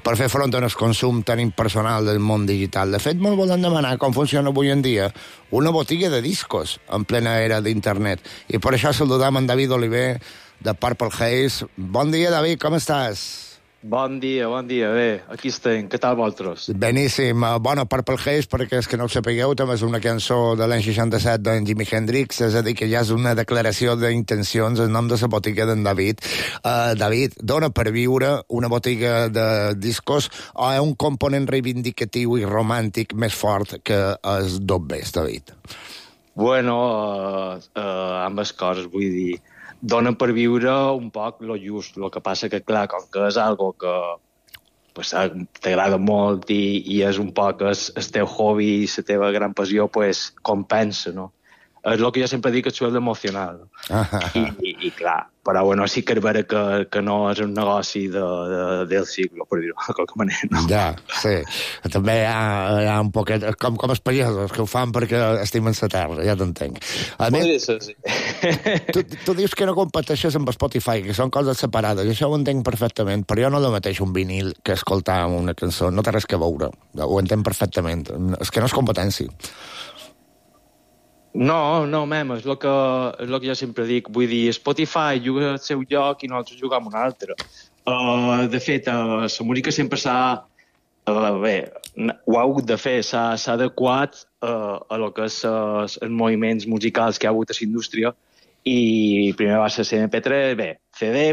per fer front al consum tan impersonal del món digital. De fet, molt volen demanar com funciona avui en dia una botiga de discos en plena era d'internet. I per això saludam en David Oliver de Purple Haze. Bon dia, David, com estàs? Bon dia, bé, aquí estem, què tal vosaltres? Beníssim, bona Purple Haze, perquè és que no ho sapigueu, també és una cançó de l'any 67 d'en Jimi Hendrix, és a dir, que ja és una declaració d'intencions en nom de la botiga d'en David. David, dona per viure una botiga de discos o és un component reivindicatiu i romàntic més fort que els dobbers, David? Bueno, ambes coses, vull dir, dona per viure un poc lo just. El que passa que, clar, com que és algo que pues, t'agrada molt i és un poc el teu hobby i la teva gran passió, pues, compensa, no? És el que jo sempre dic que suel emocional. I clar, però bueno, sí que és vera que no és un negoci del siglo, per dir-ho de qualque manera. No? Ja, sí. També hi ha un poquet, com els pagesos, que ho fan perquè estimen la terra, ja t'entenc. Podria ser, sí. Tu dius que no competeixes amb Spotify, que són coses separades, i això ho entenc perfectament, però jo no el mateix un vinil que escoltar una cançó, no té res que veure, ho entenc perfectament, és que no és competència. No, mem, és el que jo sempre dic. Vull dir, Spotify juga al seu lloc i nosaltres jugam un altre. De fet, la música sempre s'ha... Bé, ho ha hagut de fer, s'ha adequat a lo que és els moviments musicals que hi ha hagut a la indústria i primer va ser MP3, bé,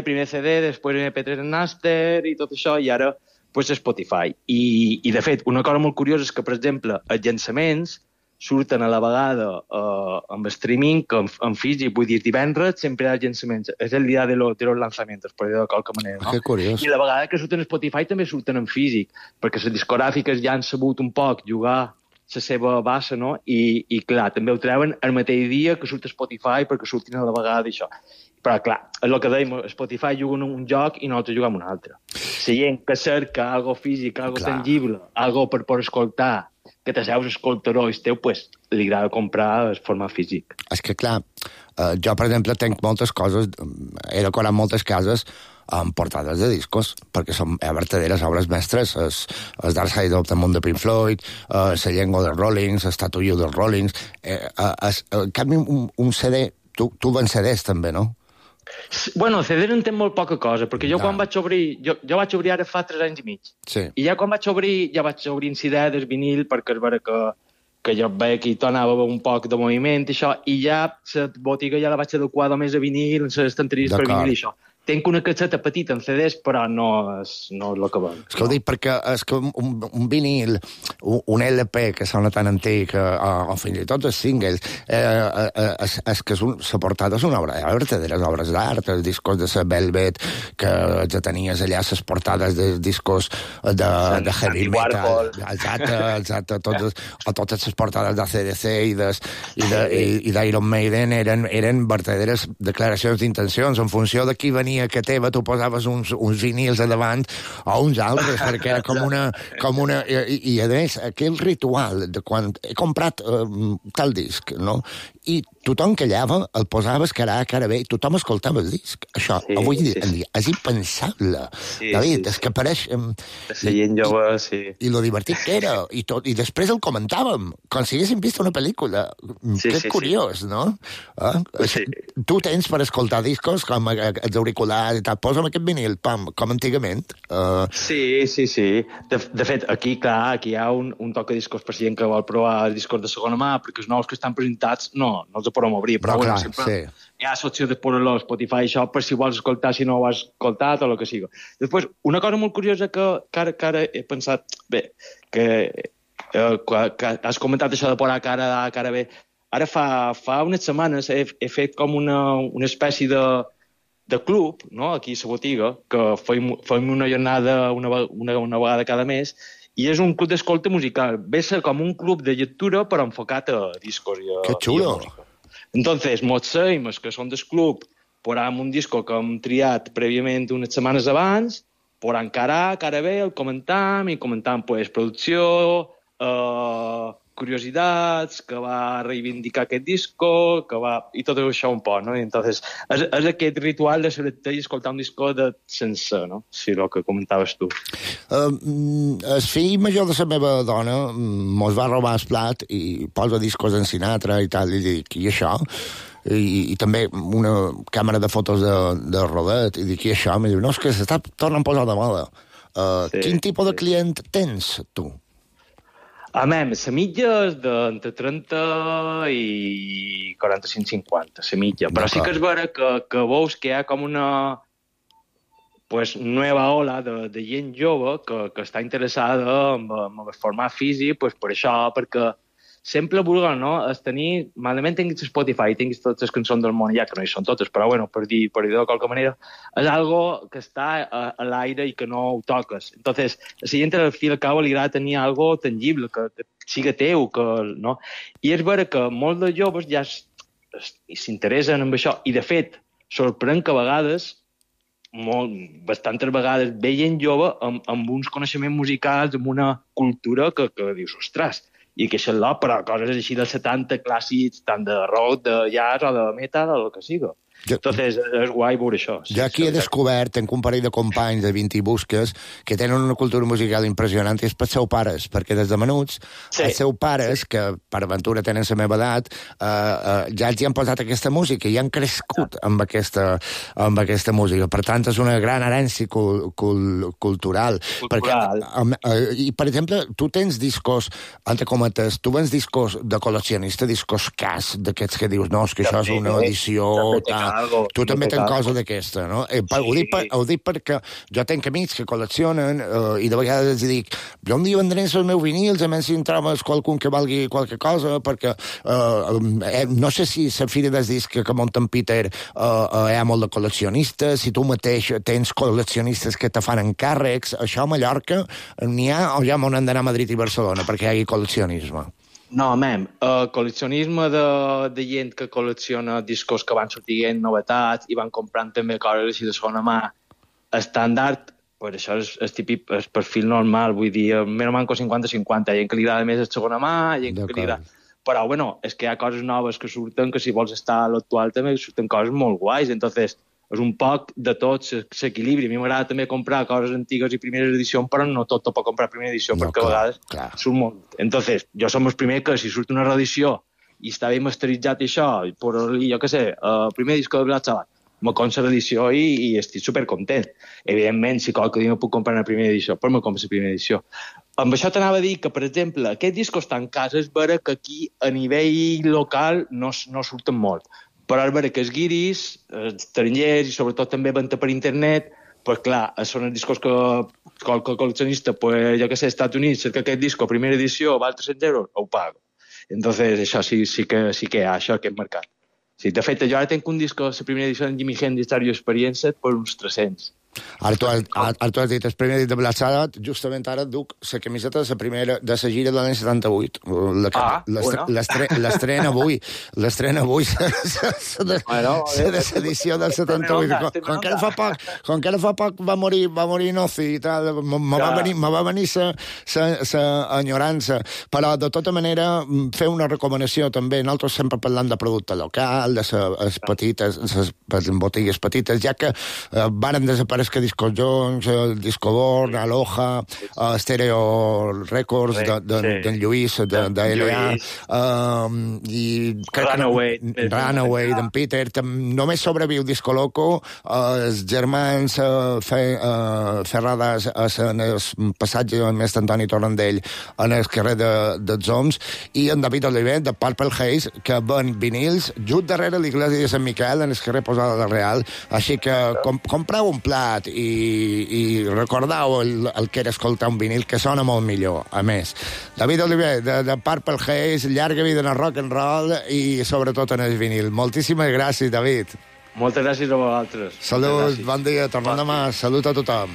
primer CD, després MP3 en Napster i tot això, i ara pues, Spotify. I de fet, una cosa molt curiosa és que, per exemple, els llançaments surten a la vegada amb streaming que en físic, vull dir, divendres sempre hi ha llançaments. És el dia de los lanzamientos, per dir-ho de qualque manera, no? Que curiós. I la vegada que surten a Spotify també surten en físic, perquè les discogràfiques ja han sabut un poc jugar la seva base, no? I clar, també ho treuen el mateix dia que surt a Spotify perquè surtin a la vegada d'això. Però, clar, és el que dèiem, Spotify juga un joc i nosaltres juguem un altre. La gent que cerca algo físic, algo tangible, algo per escoltar, que t'asseus escoltaró i teu, pues, li agrada comprar en format físic. És que, clar, jo, per exemple, tenc moltes coses, he decorat moltes cases amb portades de discos, perquè són verdaderes obres mestres. El Dark Side of the Moon de Pink Floyd, la llengua dels Rollings, el Tattoo You dels Rollings... En canvi, un CD, tu vens CDs també, no? Bueno, CD no entenc molt poca cosa, perquè jo quan vaig obrir... Jo vaig obrir ara fa 3 anys i mig. Sí. I ja quan vaig obrir en CD del vinil, perquè és vera que jo veia que hi tornava un poc de moviment i això, i ja la botiga ja la vaig adequar només a vinil, en les estanteries per vinil i això. tenc una caixeta petita en CDs, però no és el que ven. És que ho dic perquè és que un vinil, un LP que sona tan antic, o fins i tot els singles, és que la portada és una obra d'art, de les obres d'art, els discos de la Velvet, que ja tenies allà les portades dels discos de heavy metal, exacte, totes les portades d'ACDC i d'Iron Maiden eren verdaderes declaracions d'intencions. En funció de qui venia que teva, tu posaves uns vinils a davant o uns altres, perquè era com una... I a més, aquell ritual de quan he comprat tal disc, no? I tothom callava, el posaves cara A, cara B, i tothom escoltava el disc. Això, avui en dia, és impensable. David, és que apareix... Seient jove, sí. I lo divertit que era, i després el comentàvem, com si haguéssim vist una pel·lícula. Que és curiós, no? Tu tens per escoltar discos com els auriculars i tal, posa'm aquest vinil, pam, com antigament. Sí. De fet, aquí hi ha un toc de discos per si gent que vol provar els discos de segona mà, perquè els nous que estan presentats no els podem obrir, però sempre hi ha l'opció de posar-lo a Spotify, això, per si vols escoltar, si no ho has escoltat o el que sigui. Després, una cosa molt curiosa que ara he pensat, que has comentat això de posar cara A, cara B, ara fa unes setmanes he fet com una espècie de club, no?, aquí a la botiga, que fem una jornada una vegada cada mes, i és un club d'escolta musical. Ve a ser com un club de lectura, però enfocat a discos i a... Que xulo! Entonces, mos seim, els que són del club, posam un disco que hem triat prèviament unes setmanes abans, posam cara A, cara B, el comentam, i comentam, pues, producció, curiositats, que va reivindicar aquest disco, i tot això un poc, no? I entonces, és aquest ritual de selectar i escoltar un disco sense, no? Si el que comentaves tu. El fill major de la meva dona mos va robar el plat i posa discos en Sinatra i tal, i dic, i això? I també una càmera de fotos de rodet, i dic, i això? I diu, no, és que s'està tornant a posar de moda. Quin tipus de client tens, tu? La mitja és d'entre 30 i 45-50, la mitja. Però sí que és vera que veus que hi ha com una nova ola de gent jove que està interessada en el format físic, per això, perquè sempre vulguen, no?, és tenir, malament tinguis Spotify, tinguis totes les cançons del món, ja que no hi són totes, però bueno, per dir de qualque manera, és algo que està a l'aire i que no ho toques. Entonces, a la gent al fi al cabo li agrada tenir algo tangible, que siga teu, no? I és vera que molts dels joves ja s'interessen en això, i de fet, sorprèn que a vegades, bastantes vegades, ve gent jove amb uns coneixements musicals, amb una cultura que dius, ostres, i que això però coses així dels 70 clàssics, tant de rock, de jazz o de metal o el que siga. Entonces, és guai veure això. Jo aquí he descobert, tenc un parell de companys de 20 i busques que tenen una cultura musical impressionant i és pels seus pares, perquè des de menuts els seus pares, que per aventura tenen la meva edat, ja els hi han posat aquesta música i han crescut amb aquesta música. Per tant, és una gran herència cultural. I, per exemple, tu tens discos, entre cometes, tu vens discos de col·leccionista, discos cas, d'aquests que dius, no, és que això és una edició... Tu també tens cosa d'aquesta, no? Ho dic perquè jo tenc amics que col·leccionen i de vegades els dic, jo un dia vendré els meus vinils, a més si en trobes qualcun que valgui qualque cosa, perquè no sé si la fira del disc que munta en Peter hi ha molt de col·leccionistes, si tu mateix tens col·leccionistes que te fan encàrrecs, això a Mallorca n'hi ha o ja m'on han d'anar a Madrid i Barcelona perquè hi hagi col·leccionisme? No, col·leccionisme de gent que col·lecciona discos que van sortint novetats i van comprant també coses així de segona mà estàndard, pues això és típic, és perfil normal, vull dir, més o menys 50-50, gent que li agrada més de segona mà, gent que li agrada... Però, bueno, és que hi ha coses noves que surten, que si vols estar a l'actual també surten coses molt guais, entonces és un poc de tot s'equilibri. A mi m'agrada també comprar coses antigues i primeres edicions, però no tot pot comprar primera edició, perquè a vegades surt molt. Entonces, jo som el primer que si surt una reedició i està ben masteritzat i això, i posar-li, jo què sé, el primer disco de Black Sabbath, me compro l'edició i estic supercontent. Evidentment, si qualque dia no puc comprar una primera edició, però me compro la primera edició. Amb això t'anava a dir que, per exemple, aquests discos tan casos és vera que aquí, a nivell local, no surten molt. però ara veure que els guiris, estrangers i sobretot també venda per internet, pues clar, són els discos que qualque col·leccionista, pues, jo que sé, als Estats Units, cerca aquest disco, primera edició, val 300 euros, ho pago. Entonces, això sí que hi ha, això, aquest mercat. Sí, de fet, jo ara tenc un disco, la primera edició de Jimi Hendrix Stereo Experience, per uns 300. Ara tu has dit el primer dit de Black Sabbath, justament ara duc la camiseta de la gira de l'any 78. L'estrena avui. L'estrena avui. La desedició del 78. Com que ara fa poc va morir Nozi i tal, me va venir la enyorança. Però, de tota manera, fer una recomanació també. Nosaltres sempre parlant de producte local, de les petites, les botigues petites, ja que varen desaparèixer que Disco Jones, el Disco Born, Aloha, Stereo Records d'en Lluís, de LA, i Runaway d'en Peter. Només sobreviu Disco Loco, els germans Ferradas en el passatge amb Mestre Antoni Torrandell en el carrer dels Oms, i en David Oliver, de Purple Haze, que ven vinils just darrere l'església de Sant Miquel, en el carrer Posada de Real. Així que compreu un plat i recordeu el que era escoltar un vinil, que sona molt millor, a més. David Oliver, de Purple Haze, llarga vida en el rock and roll i sobretot en el vinil. Moltíssimes gràcies, David. Moltes gràcies a vosaltres. Salut, bon dia, tornem demà. Salut a tothom.